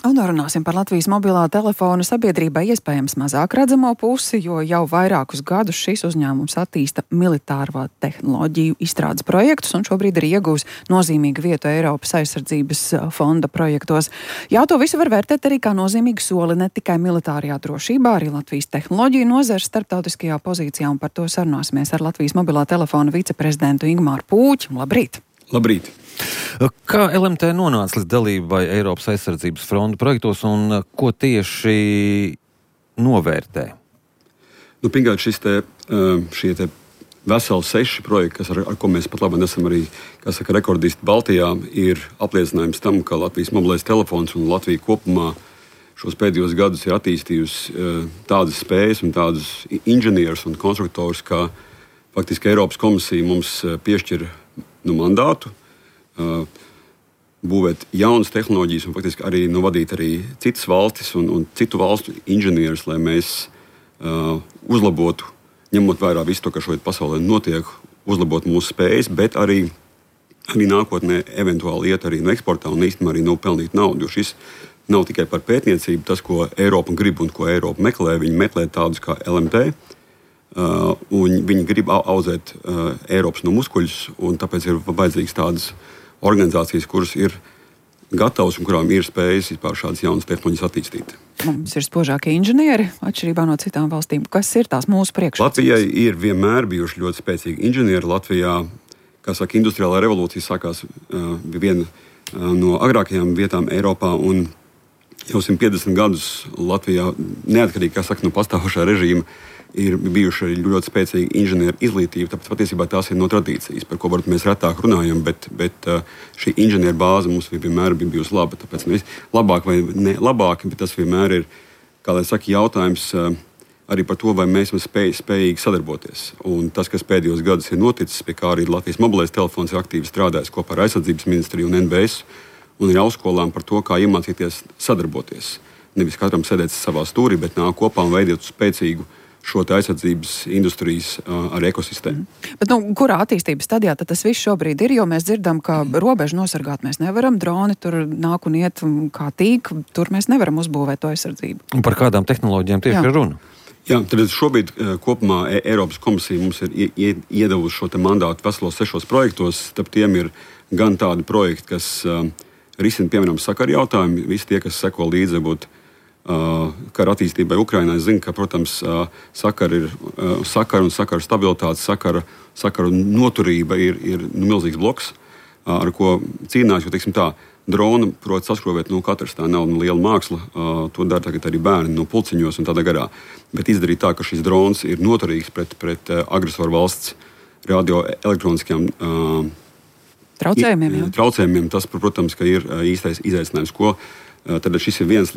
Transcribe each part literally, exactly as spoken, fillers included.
Un runāsim par Latvijas mobilā telefona sabiedrībai iespējams mazāk redzamo pusi, jo jau vairākus gadus šis uzņēmums attīsta militāro tehnoloģiju izstrādes projektus un šobrīd ir iegūs nozīmīgu vietu Eiropas aizsardzības fonda projektos. Jā, to visu var vērtēt arī kā nozīmīgu soli ne tikai militārajā drošībā, arī Latvijas tehnoloģiju nozares starptautiskajā pozīcijā, un par to sarunāsimies ar Latvijas mobilā telefona viceprezidentu Ingmāru Pūķi. Labrīt! Labrīt! Kā L M T nonāca līdz dalībai Eiropas aizsardzības fonda projektos un ko tieši novērtē? Nu, pirmkārt, šis te, šie te veseli seši projekti, kas ar, ar ko mēs pat labi esam arī, kā saka, rekordisti Baltijā, ir apliecinājums tam, ka Latvijas mobilais telefons un Latvija kopumā šos pēdējos gadus ir attīstījusi tādas spējas un tādus inženierus un konstruktors, kā faktiski Eiropas komisija mums piešķir nu, mandātu, uh, būvēt jaunas tehnoloģijas un faktiski arī nu, vadīt arī citas valstis un, un citu valstu inženierus, lai mēs uh, uzlabotu, ņemot vērā visu to, kas šodien pasaulē notiek, uzlabot mūsu spējas, bet arī, arī nākotnē eventuāli iet arī no eksportā un īstenībā arī nopelnīt naudu. Jo šis nav tikai par pētniecību, tas, ko Eiropa grib un ko Eiropa meklē, viņi meklē tādus kā L M T. Uh, viņi grib audzēt uh, Eiropas no muskuļus, un tāpēc ir vajadzīgas tādas organizācijas, kuras ir gatavas un kurām ir spējas vispār šādas jaunas tehnoloģijas attīstīt. Mums ir spožākie inženieri, atšķirībā no citām valstīm. Kas ir tās mūsu priekšrocības? Latvijai ir vienmēr bijuši ļoti spēcīgi inženieri. Latvijā, kā saka, industriālā revolūcija sākās uh, viena uh, no agrākajām vietām Eiropā, un jau simt piecdesmit gadus Latvijā, neatkarīgi, kā saka, no pastāvošā režīma, ir bijuši arī ļoti spēcīga inženieru izglītība, tāpēc patiesībā tās ir no tradīcijas, par ko varbūt mēs retāk runājam, bet, bet šī inženieru bāze mums vienmēr bija bijusi laba. Tāpēc nevis labāk vai ne labāk, bet tas vienmēr ir, kā lai saka, jautājums arī par to, vai mēs esam spēj, spējīgi sadarboties. Un tas, kas pēdējos gadus ir noticis, pie kā arī Latvijas mobilais telefons ir aktīvi strādājis kopā ar aizsardzības ministriju un N B S un ir augstskolām par to, kā iemācīties sadarboties. Nevis katram sēdēt savā stūrī, bet nāk kopā un veidot spēcīgu šo aizsardzības industrijas uh, ar ekosistēmu. Mm. Bet, nu, kurā attīstības stadijā tad tas viss šobrīd ir? Jo mēs dzirdam, ka robežu nosargāt mēs nevaram, droni tur nāk un iet kā tīk, tur mēs nevaram uzbūvēt to aizsardzību. Un par kādām tehnoloģijām tieši ir runa? Jā, tad šobrīd uh, kopumā e- Eiropas komisija mums ir ie- iedevusi šo te mandātu veselos sešos projektos. Starp tiem ir gan tādi projekti, kas uh, risina, piemēram, sakaru jautājumu. Visi tie, kas seko līdzi, būt Uh, kara attīstībai Ukrainā, es zinu, ka, protams, uh, sakara ir uh, sakara un sakara stabilitāte, sakara, sakara noturība ir, ir nu, milzīgs bloks, uh, ar ko cīnās, jo, teiksim tā, drona prot saskrovēt, nu, katrs tā nav nu, liela māksla, uh, to dara tagad arī bērni no pulciņos un tādā garā, bet izdarīt tā, ka šis drons ir noturīgs pret, pret uh, agresoru valsts radioelektroniskajām uh, traucējumiem, i, traucējumiem, tas, protams, ka ir uh, īstais izaicinājums, ko Tad šis ir viens,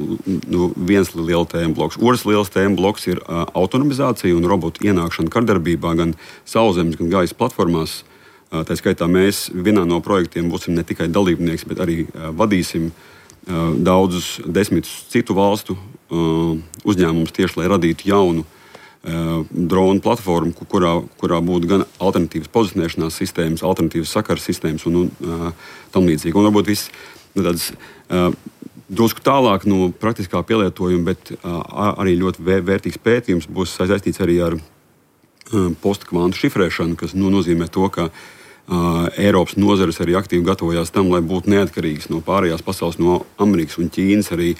nu, viens liels tēma bloks. Otrs liels tēma bloks ir uh, autonomizācija un robotu ienākšana kardarbībā gan sauszemes, gan gaisa platformās. Uh, tā skaitā mēs vienā no projektiem būsim ne tikai dalībnieks, bet arī uh, vadīsim uh, daudzus desmitus citu valstu uh, uzņēmumus tieši, lai radītu jaunu uh, dronu platformu, kurā, kurā būtu gan alternatīvas pozicionēšanās sistēmas, alternatīvas sakaras sistēmas un, un uh, tam līdzīgi. Un varbūt viss nu, tāds uh, drusku tālāk no praktiskā pielietojuma, bet uh, arī ļoti vērtīgs pētījums būs saistīts arī ar uh, postkvantu šifrēšanu, kas nu, nozīmē to, ka uh, Eiropas nozares arī aktīvi gatavojās tam, lai būtu neatkarīgas no pārējās pasaules, no Amerikas un Ķīnas arī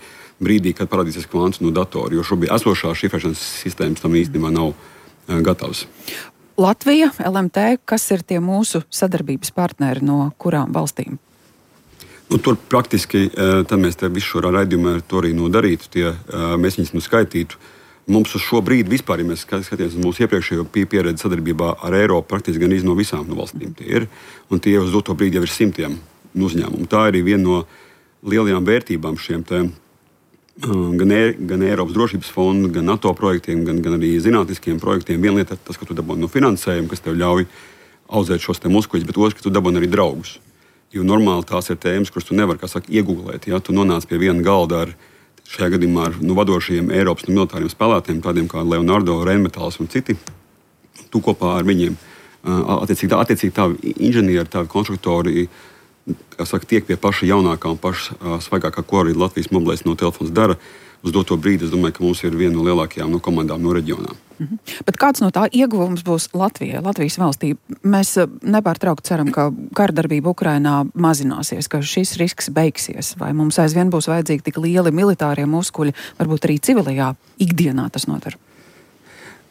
brīdī, kad parādīsies kvantus no datora, jo šobrīd esošās šifrēšanas sistēmas tam īstenībā nav uh, gatavas. Latvija, L M T, kas ir tie mūsu sadarbības partneri no kurām valstīm? Nu, tur praktiski, tad mēs te visu šo raidījumu to arī nodarītu, tie, mēs viņus nu skaitītu. Mums uz šo brīdi vispār, ja mēs skatāmies uz mūsu iepriekšējo pieredzi sadarbībā ar Eiropu, praktiski gan iz no visām no valstīm tie ir, un tie uz doto brīdi jau ir simtiem uzņēmumu. Tā ir viena no lielajām vērtībām šiem te, gan, e, gan Eiropas drošības fondu, gan NATO projektiem, gan, gan arī zinātniskiem projektiem. Viena lieta ir tas, ka tu dabūni no finansējuma, kas tev ļauj audzēt šos te muskuļus, bet otrs, ka tu dabūni arī draugus. Jo normāli tās ir tēmas, kuras tu nevari, kā saka, iegūglēt. Ja? Tu nonāc pie viena galda ar šajā gadījumā ar nu, vadošajiem Eiropas nu, militāriem spēlētājiem, tādiem kā Leonardo, Rheinmetalls un citi. Tu kopā ar viņiem, attiecīgi, tā, attiecīgi tavi inženieri, tavi konstruktori saka, tiek pie paša jaunākā un paša uh, svaigākā, ko arī Latvijas mobilais no telefons dara. Uz doto brīdi es domāju, ka mums ir viena no lielākajām no komandām no reģionā. Mhm. Bet kāds no tā ieguvums būs Latvijai, Latvijas valstī? Mēs nepārtraukti ceram, ka kardarbība Ukrainā mazināsies, ka šis risks beigsies, vai mums aizvien būs vajadzīgi tik lieli militārie muskuļi, varbūt arī civilajā ikdienā tas notar?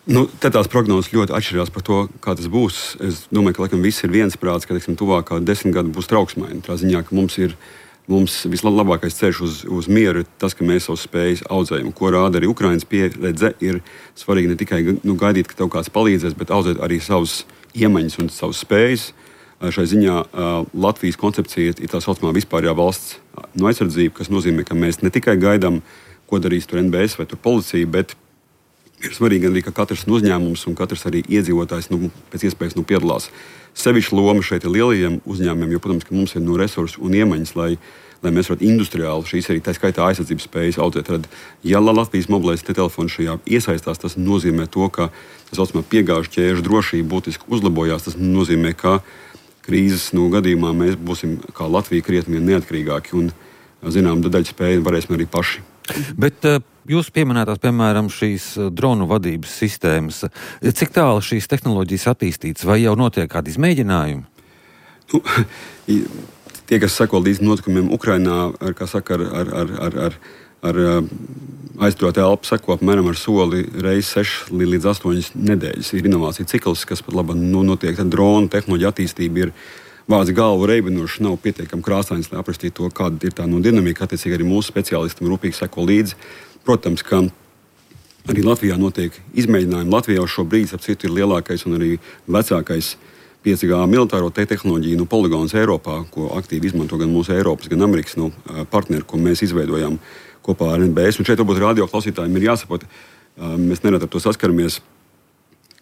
Nu, te tās prognozes ļoti atšķirās par to, kā tas būs. Es domāju, ka laikam viss ir viensprāts, ka teiksim, tuvākā desmit gadi būs trauksmaini. Tā ziņā, ka mums ir Mums vislabākais ceļš uz, uz mieru ir tas, ka mēs savus spējas audzējam. Ko rāda arī Ukrainas pieredze, ir svarīgi ne tikai nu, gaidīt, ka tev kāds palīdzēs, bet audzēt arī savus iemaņas un savus spējas. Šai ziņā Latvijas koncepcija ir tā saucamā vispārējā valsts no aizsardzība, kas nozīmē, ka mēs ne tikai gaidām, ko darīs tur N B S vai tur policija, bet ir svarīgi arī, ka katrs uzņēmums un katrs arī iedzīvotājs nu, pēc iespējas nu, piedalās. Sevišķa loma šeit ir lielajiem uzņēmumiem, jo, protams, ka mums ir no resursi un iemaņas, lai, lai mēs varētu industriāli šīs arī tā skaitā aizsardzības spējas audzēt. Tad, ja Latvijas mobilais telefons šajā iesaistās, tas nozīmē to, ka tā saucamā piegāžu ķēžu drošība būtiski uzlabojās. Tas nozīmē, ka krīzes nu, gadījumā mēs būsim kā Latvija krietni neatkarīgāki un, zinām, daļu spēju varēsim arī paši. Bet uh, jūs pieminētās, piemēram, šīs dronu vadības sistēmas. Cik tālu šīs tehnoloģijas attīstītas, vai jau notiek kādi izmēģinājumi? Nu, tie, kas seko līdz notikumiem Ukrainā, ar, kā saka, ar, ar, ar, ar, ar, ar aizturētu elpu seko apmēram ar soli reiz sešas līdz astoņas nedēļas. Ir inovācija cikls, kas pat labi nu, notiek. Tad dronu tehnoloģija attīstība ir vārds galvu reibinoši, nav pietiekami krāsains, lai aprakstītu to, kāda ir tā no dinamika. Attiecīgi arī mūsu speciālistam rūpīgi seko līdzi. Protams, ka arī Latvijā notiek izmēģinājumi. Latvijā šo brīdi, ap citu, ir lielākais un arī vecākais pieci G militāro te tehnoloģiju nu, poligons Eiropā, ko aktīvi izmanto gan mūsu Eiropas, gan Amerikas nu, partneri, ko mēs izveidojām kopā ar N B S. Un šeit varbūt radio klausītājiem ir jāsaprot, mēs nerad ar to saskaramies,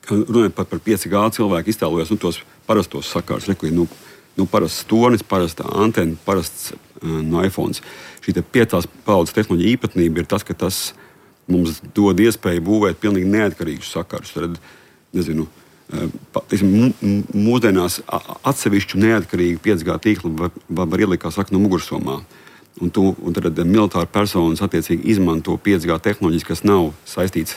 ka runājot pat par pieci G cilvēku iztēlojas nu, tos parastos sakārus. Reku, nu, nu, parasts tornis, parasta antena, parasts no iPhone. Šī piecās paudzes tehnoloģija īpatnība ir tas, ka tas mums dod iespēju būvēt pilnīgi neatkarīgus sakarus. Tad, nezinu, teiksim, mūsdienās atsevišķu neatkarīgu pieci G tīklu var, var ielikt, kā saka, no mugursomā. Un, tu, un tad militāri personas attiecīgi izmanto pieci G tehnoloģijas, kas nav saistīts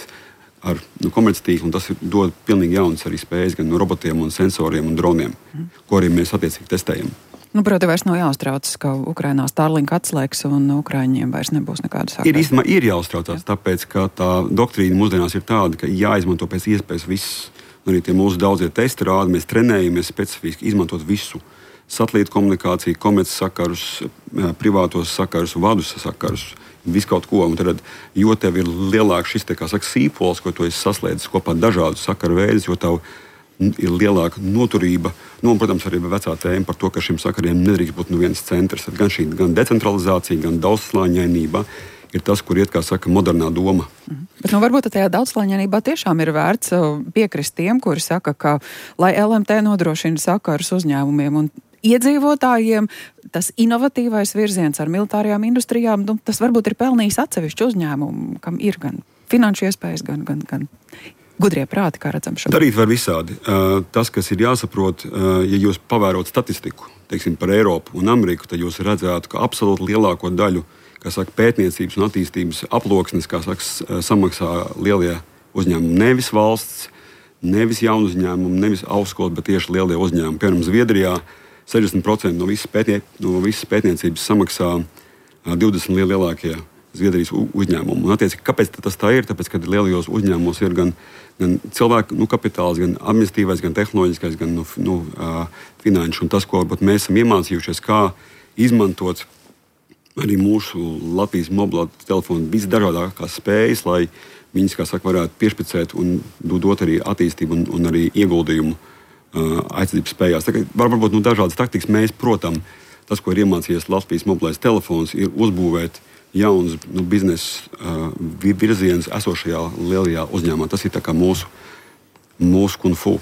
ar nu, komerctīklu, un tas dod pilnīgi jaunas arī spējas gan no robotiem un sensoriem un droniem, mm. ko arī mēs attiecīgi testējam. Nu, proti, vairs nav jāuztraucas, ka Ukrainā Starlink atslēgs un Ukraiņiem vairs nebūs nekāda sakara. Ir īstenībā ir jāuztraucās, tāpēc, ka tā doktrīna mūsdienās ir tāda, ka jāizmanto pēc iespējas viss. Arī tie mūsu daudzie testi rāda, mēs trenējamies specifiski izmantot visu. Satelītu komunikāciju, komerces sakarus, privātos sakarus, vadus sakarus, visu kaut ko. Un tad, jo tev ir lielāks šis, te, kā saka, sīpols, ko tu esi saslēdzis kopā dažādus sakaru veidus, jo tev ir lielāka noturība. Nu, un, protams, arī vecā tēma par to, ka šiem sakariem nedrīkst būt nu viens centrs. Gan šī gan decentralizācija, gan daudzslāņainība ir tas, kur iet, kā saka, modernā doma. Mhm. Bet nu, varbūt tajā daudzslāņainībā tiešām ir vērts piekrist tiem, kuri saka, ka, lai L M T nodrošina sakarus uzņēmumiem un iedzīvotājiem, tas inovatīvais virziens ar militārajām industrijām, nu, tas varbūt ir pelnījis atsevišķu uzņēmumu, kam ir gan finanšu iespējas, gan, gan, gan gudrie prāti, kā redzam šobrīd. Darīt var visādi. Tas, kas ir jāsaprot, ja jūs pavērot statistiku, teiksim, par Eiropu un Ameriku, tad jūs redzētu, ka absolūti lielāko daļu, kā saka, pētniecības un attīstības aploksnes, kā saka, samaksā lielie uzņēmumi. Nevis valsts, nevis jaunu uzņēmumu, nevis augstskolas, bet tieši lielie uzņēmumi. Piemēram, Zviedrijā sešdesmit procenti no visas, pētnie, no visas pētniecības samaksā divdesmit lielākie Zviedrijas uzņēmumu. Un, attiecīgi, kāpēc tas tā ir? Tāpēc, ka lielajos uzņēmumos ir gan, gan cilvēku nu, kapitāls, gan administratīvais, gan tehnoloģiskais, gan nu, nu, uh, finanšu. Un tas, ko mēs esam iemācījušies, kā izmantot arī mūsu Latvijas mobilā telefonu visdažādākās spējas, lai viņas, kā saka, varētu piešpicēt un dot arī attīstību un, un arī ieguldījumu uh, aizsardzības spējās. Tā kā var, varbūt nu, dažādas taktikas mēs, protams, tas, ko ir iemācījies Latvijas mobilais telefons, ir uzbūvēt jauns nu, biznesa uh, virziens esošajā lielajā uzņēmumā. Tas ir tā kā mūsu, mūsu kung fu.